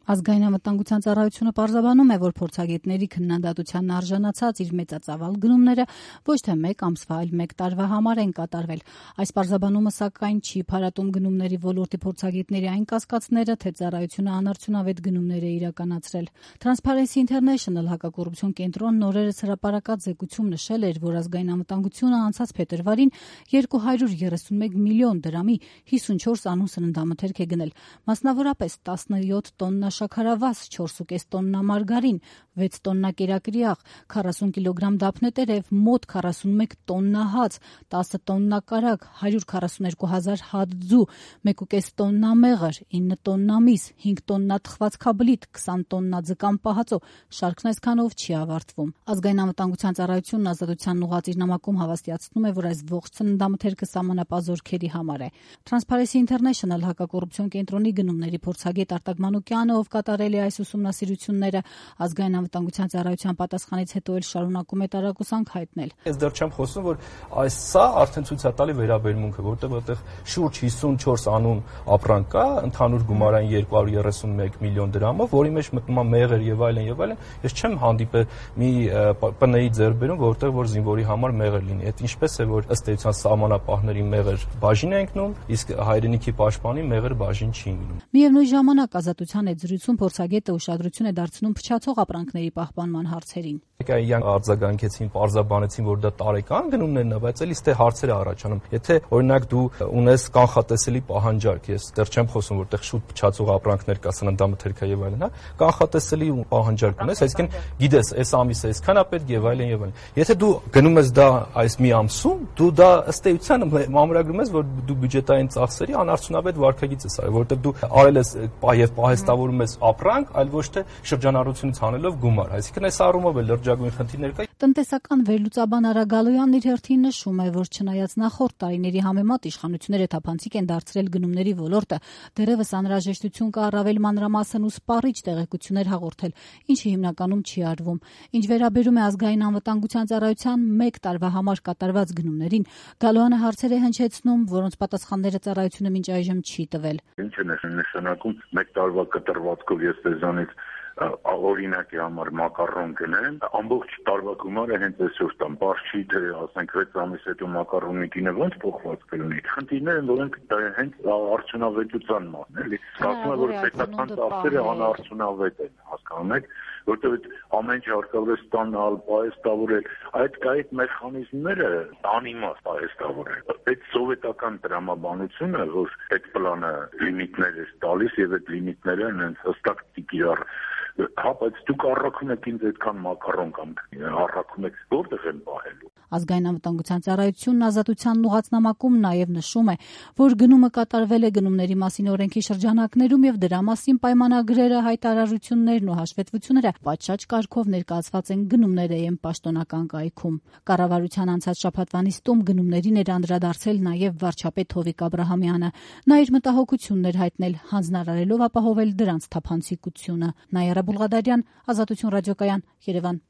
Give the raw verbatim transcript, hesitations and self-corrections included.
Ազգային անվտանգության ծառայությունը պարզաբանում է, որ փորձագետների քննադատությանն արժանացած իր մեծածավալ գնումները ոչ թե մեկ ամսվա, այլ մեկ տարվա համար են կատարվել։ Այս պարզաբանումը, սակայն, չի փարատում գնումների ոլորտի փորձագետների այն կասկածները, թե ծառայությունը անարդյունավետ գնումներ է իրականացրել։ Transparency International հակակոռուպցիոն կենտրոնն օրերս հրապարակած զեկույցում նշել էր, որ ազգային անվտանգությունը անցած փետրվարին երկու հարյուր երեսունմեկ միլիոն դրամի հիսունչորս անուն սննդամթերք է գնել, մասնավորապես տասնյոթ տոննա շաքարավազ, չորս ու կես տոննա մարգարին, վեց տոննա կերակրիաղ, քառասուն կիլոգրամ դափնետերև, մոտ քառասունմեկ տոննա հաց, տասը տոննա կարագ, հարյուր քառասուններկու հազար հաց ձու, մեկ ու կես տոննա մեղր, ինը տոննա միս, հինգ տոննա թխվածքաբլիթ, քսան տոննա ձկան պահածո, շարքն այսքանով չի ավարտվում։ Ազգային անվտանգության ծառայությունն ազատությանն ուղղված իր նամակում հավաստիացնում է, որ այս ողջ սննդամթերքը սահմանապազօրքերի համար է։ Transparency International հակակոռուպցիոն կենտրոնի գնումների փորձագետ Արտակ Մանուկյանը, ով կատարել է այս ուսումնասիրությունները, ազգային անվտանգության ծառայության պատասխանից հետո էլ շարունակում է տարակուսանք հայտնել։ Ես դեռ չեմ խոսում, որ այս սա արդեն ցույց է տալի վերաբերմունքը, որտեղ որտեղ շուրջ հիսունչորս անուն ապրանք կա, ընդհանուր գումարային երկու հարյուր երեսունմեկ միլիոն դրամով, որի մեջ մտնում է մեղր եւ այլն եւ այլն։ Ես չեմ հանդիպել մի ՊՆ-ի ձեռբերում, որտեղ որ զինվորի համար մեղր լինի։ Այդ ինչպես է, որ ըստ էության սահմանապահների մեղր բաժին է ընկնում, իսկ հայրենիքի պաշտպանի մեղր բաժին չի ընկնում։ Միևնույն ժամանակ ազատության այդ զրույցում փորձագետը ուշադրություն է դարձնում փչացող ապրանքների պահպանման հարցերին։ Իրանք արձագանքեցին, պարզաբանեցին, որ դա տարեկան գնումներն է, բայց էլի ստե հարցեր է առաջանում։ Եթե օրինակ դու ունես կանխատեսելի պահանջարկ, ես դեռ չեմ խոսում, որտեղ շուտ փչացող ապրանքներ կա, սննդամթերքը եւ այլն, հա, կանխատեսելի պահանջարկ ունես, այսինքն գիտես, այս ամիսը այսքան է պետք եւ այլն եւ այլն։ Եթե դու գնում ես դա այս մի ամսում, դու դա ըստ էության մամրագրում ես, որ դու բյուջետային ծախսերի անարդյունավետ վարկագիծ ես արել, որտեղ դու արել ես եւ պահեստավորում ես ապրանք, այլ ոչ թե շրջանառությունից հանելով գումար։ Այսինքն այս առումով էլ լրջագույն խնդիրներ կա։ Տնտեսական վերլուծաբան Արա Գալոյանն իր հերթին նշում է, որ չնայած նախորդ տարիների համեմատ իշխանությունները թափանցիկ են դարձրել գնումների ոլորտը, դեռևս անհրաժեշտություն կա առավել մանրամասն ու սպառիչ տեղեկություններ հաղորդել, ինչը հիմնականում չի արվում։ Ինչ վերաբերում է ազգային անվտանգության ծառայության մեկ տարվա համար կատարված գնումներին, Գալոյանը հարցեր է հնչեցնում, որոնց պատասխանները ծառայությունը մինչ այժմ չի տվել։ Ինչ է նշանակում մեկ տարվա կտրվածքով ես դեզանից օրինակի համար մակարոն գնեմ, ամբողջ տարվա գումարը հենց այսօր տամ, բարձ չի թե ասենք վեց ամիս հետո մակարոնի գինը ոնց փոխված կլինի։ Խնդիրները որոնք հենց արդյունավետության մասն էլի, ասում եմ, որ պետական ծախսերը անարդյունավետ են, հասկանում եք, որտեղ ամեն ինչ հարկավոր է ստանալ, պահեստավորել, այդ կայք մեխանիզմները անիմաստ պահեստավորել։ Այդ սովետական տրամաբանությունը, որ այդ պլանը լիմիտներ է տալիս եւ այդ լիմիտները հենց հստակ տիկիրար հա, բայց դուք առաքում եք ինձ այդքան մակարոն կամ առաքում եք որտեղ են պահելու։ Ազգային անվտանգության ծառայությունն ազատությանն ուղղված նամակում նաև նշում է, որ գնումը կատարվել է գնումների մասին օրենքի շրջանակներում եւ դրա մասին պայմանագրերը, հայտարարություններն ու հաշվետվությունները պատշաճ կարգով ներկայացված են գնումների պաշտոնական կայքում։ Կառավարության անցած շաբաթվա նիստում գնումներին էր անդրադարձել նաև վարչապետ Հովիկ Աբրահամյանը։ Նա իր մտահոգությունն էր հայտնել, հանձնարարելով ապահովել դրանց թափանցիկությունը։ Նայարա Բուլղադարյան, Ազատություն ռադիոկայան, Երևան։